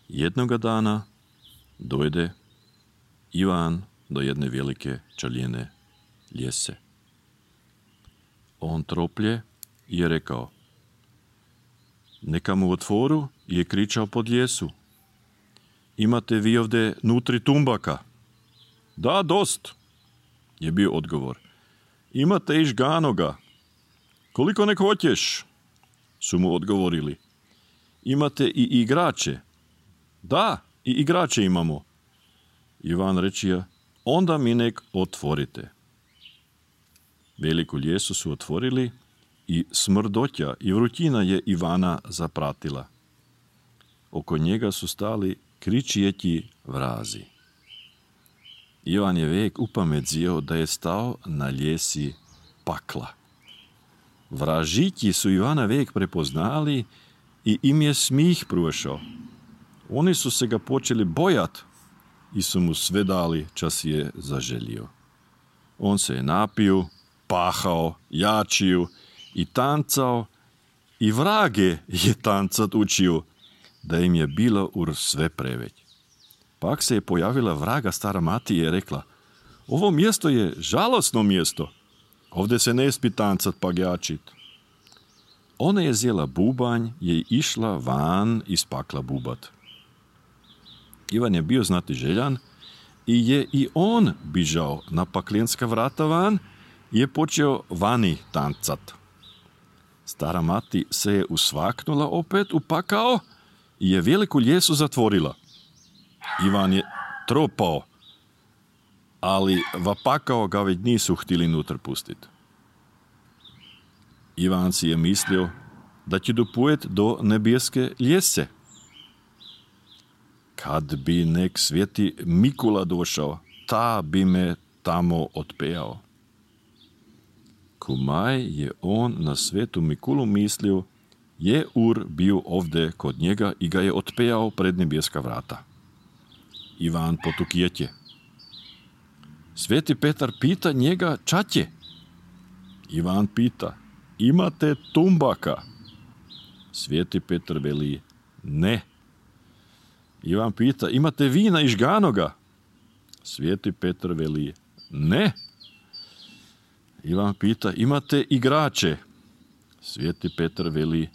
Jednoga dana dojde Ivan do jedne velike čaljene ljese. On troplje i je rekao: neka mu otvoru, je kričao pod ljesu. Imate vi ovdje nutri tumbaka? Da, dost, je bio odgovor. Imate i žganoga? Koliko nek hoćeš? Su mu odgovorili. Imate i igrače? Da, i igrače imamo. Ivan rečija: onda mi nek otvorite. Veliku ljesu su otvorili i smrdotja i vrućina je Ivana zapratila. Oko njega su stali kričijeći vrazi. Ivan je vek upamedzio da je stao na ljesi pakla. Vražići su Ivana vek prepoznali i im je smih prošao. Oni su se ga počeli bojat i su mu sve dali čas je zaželio. On se je napio, pahao, jačio i tancao i vrage je tancat učio, da im je bilo ur sve preveć. Pak se je pojavila vraga stara mati i je rekla: ovo mjesto je žalosno mjesto, ovdje se ne spi tancat pa jačit. Ona je zjela bubanj je išla van iz pakla bubat. Ivan je bio znati željan i je i on bižao na paklenska vrata van i je počeo vani tancat. Stara mati se je usvaknula opet u pakao i je veliku ljesu zatvorila. Ivan je tropao, ali va pakao ga već nisu htjeli nutar pustiti. Ivan si je mislio da će dopujet do nebeske ljese. Kad bi nek sveti Mikula došao, ta bi me tamo otpejao. Kumaj je on na svetu Mikulu mislio, je ur bio ovdje kod njega i ga je otpejao pred nebeska vrata. Ivan potukjetje. Sveti Petar pita njega čaće. Ivan pita: imate tumbaka? Sveti Petar veli: ne. Ivan pita: imate vina i žganoga? Sveti Petar veli: ne. Ivan pita: imate igrače? Sveti Petar veli: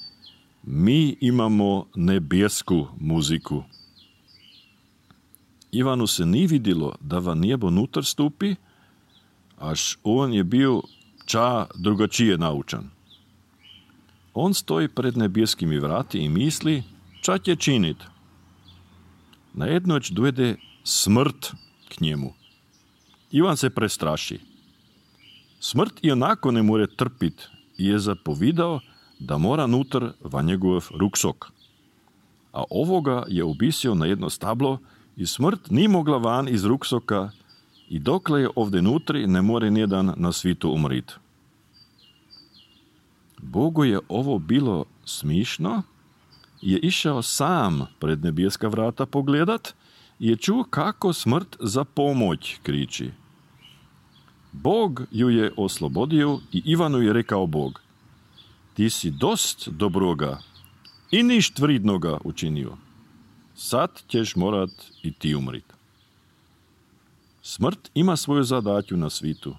mi imamo nebesku muziku. Ivanu se ni vidjelo da va nebo nutar stupi, až on je bio ča drugačije naučan. On stoji pred nebeskimi vrati i misli, ča će činit. Najednoć dojde smrt k njemu. Ivan se prestraši. Smrt i onako ne more trpit i je zapovidao da mora nutar va njegov ruksok. A ovoga je obisio na jedno stablo i smrt ni mogla van iz ruksoka i dokle je ovdje nutri ne more nijedan na svitu umrit. Bogu je ovo bilo smišno, je išao sam pred nebeska vrata pogledat i je čuo kako smrt za pomoć kriči. Bog ju je oslobodio i Ivanu je rekao Bog: ti si dost dobroga i ništ vridnoga učinio. Sad ćeš morat i ti umrit. Smrt ima svoju zadatju na svitu,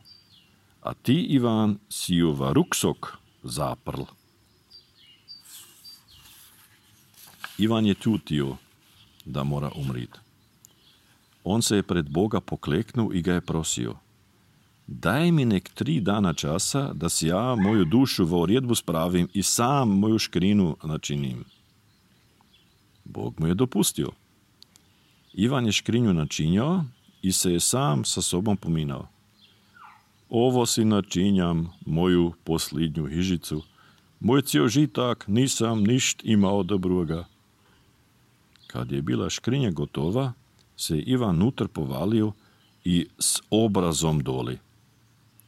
a ti, Ivan, si ju va ruksok zaprl. Ivan je čutio da mora umrit. On se je pred Boga pokleknuo i ga je prosio: daj mi nek 3 dana časa, da si ja moju dušu v uredbu spravim i sam moju škrinu načinim. Bog mu je dopustio. Ivan je škrinju načinjao i se je sam sa sobom pominao: ovo si načinjam moju posljednju hižicu, moj cijel žitak nisam ništ imao dobroga. Kad je bila škrinja gotova, se je Ivan nutar povalio i s obrazom doli.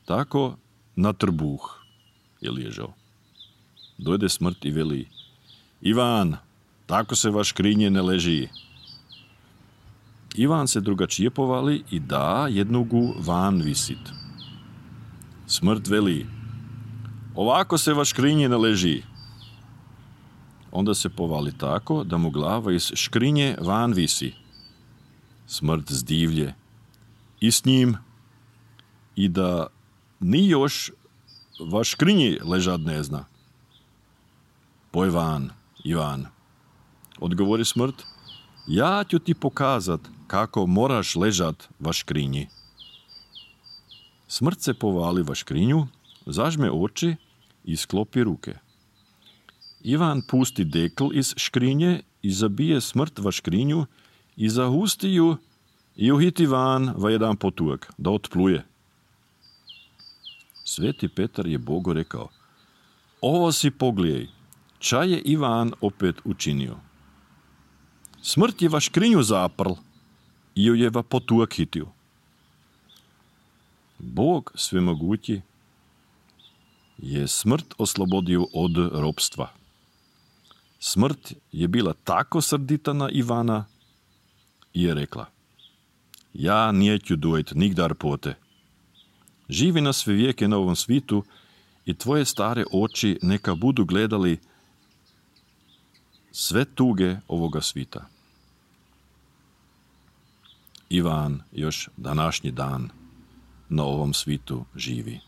Tako na trbuh je ležao. Dojde smrt i veli: Ivan, tako se vaš škrinje ne leži. Ivan se drugačije povali i da jednogu van visit. Smrt veli: ovako se vaš škrinje ne leži. onda se povali tako da mu glava iz škrinje van visi. Smrt zdivlje i s njim i da ni još vaš škrinji ležat ne zna. Poj van, Ivan, odgovori smrt, ja ću ti pokazat kako moraš ležat vaš škrinji. Smrt se povali vaš škrinju, zažme oči i sklopi ruke. Ivan pusti dekl iz škrinje i zabije smrt vaš škrinju i zahusti ju i uhiti van va jedan potuak, da otpluje. Sveti Petar je Bogu rekao, ovo si poglijej, ča je Ivan opet učinio. Smrt je va škrinju zaprl i ju je va potuak hitio. Bog svemogući je smrt oslobodio od ropstva. Smrt je bila tako srdita na Ivana i je rekla, ja neću dojt nigdar pote. Živi na sve vijeke na ovom svitu i tvoje stare oči neka budu gledali sve tuge ovoga svita. Ivan još današnji dan na ovom svitu živi.